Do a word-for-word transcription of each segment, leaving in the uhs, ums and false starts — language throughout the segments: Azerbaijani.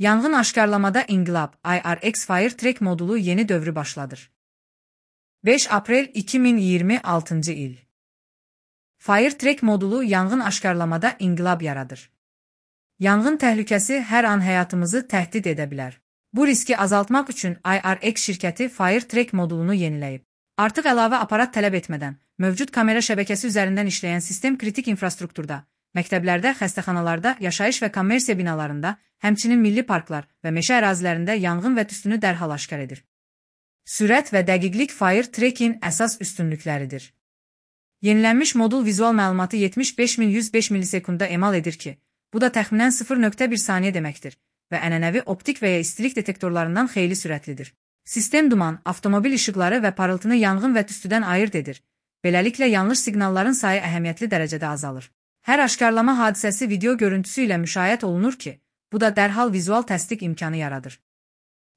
Yanğın aşkarlamada inqilab I R X Firetrack modulu yeni dövrü başladır. beş Aprel iki min iyirmi altıncı il. Firetrack modulu yanğın aşkarlamada inqilab yaradır. Yanğın təhlükəsi hər an həyatımızı təhdid edə bilər. Bu riski azaltmaq üçün I R X şirkəti Firetrack modulunu yeniləyib. Artıq əlavə aparat tələb etmədən, mövcud kamera şəbəkəsi üzərindən işləyən sistem kritik infrastrukturda, məktəblərdə, xəstəxanalarda, yaşayış və kommersiya binalarında, həmçinin milli parklar və meşə ərazilərində yanğın və tüstünü dərhal aşkar edir. Sürət və dəqiqlik Firetrack-in əsas üstünlükləridir. Yenilənmiş modul vizual məlumatı yetmiş beş min yüz beş millisekunda emal edir ki, bu da təxminən sıfır nöqtə bir saniyə deməkdir və ənənəvi optik və ya istilik detektorlarından xeyli sürətlidir. Sistem duman, avtomobil işıqları və parıltını yanğın və tüstüdən ayırt edir. Beləliklə yanlış siqnalların sayı əhəmiyyətli dərəcədə azalır. Hər aşkarlama hadisəsi video görüntüsü ilə müşahidə olunur ki, bu da dərhal vizual təsdiq imkanı yaradır.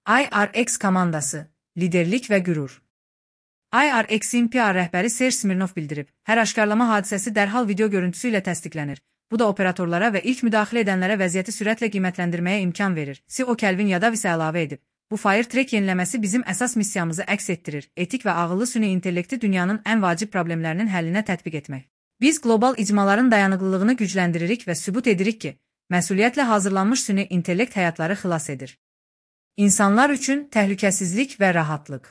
I R X komandası, liderlik və qürur. I R X-in P R rəhbəri Serj Smirnov bildirib, hər aşkarlama hadisəsi dərhal video görüntüsü ilə təsdiqlənir. Bu da operatorlara və ilk müdaxilə edənlərə vəziyyəti sürətlə qiymətləndirməyə imkan verir. C E O Kelvin Yadav isə əlavə edib. Bu Firetrack yeniləməsi bizim əsas missiyamızı əks etdirir, etik və ağıllı süni intellekti dünyanın ən vacib problemlərinin həllinə tətbiq etmək. Biz qlobal icmaların dayanıqlılığını gücləndiririk və sübut edirik ki, məsuliyyətlə hazırlanmış süni intellekt həyatları xilas edir. İnsanlar üçün təhlükəsizlik və rahatlıq.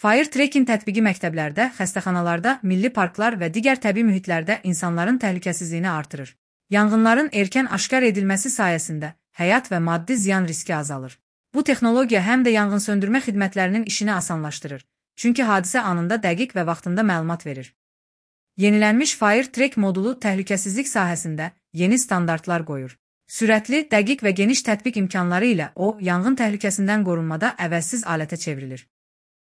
Firetrack-in tətbiqi məktəblərdə, xəstəxanalarda, milli parklar və digər təbii mühitlərdə insanların təhlükəsizliyini artırır. Yanğınların erkən aşkar edilməsi sayəsində həyat və maddi ziyan riski azalır. Bu texnologiya həm də yanğınsöndürmə xidmətlərinin işini asanlaşdırır, çünki hadisə anında dəqiq və vaxtında məlumat verir. Yenilənmiş Firetrack modulu təhlükəsizlik sahəsində yeni standartlar qoyur. Sürətli, dəqiq və geniş tətbiq imkanları ilə o, yanğın təhlükəsindən qorunmada əvəzsiz alətə çevrilir.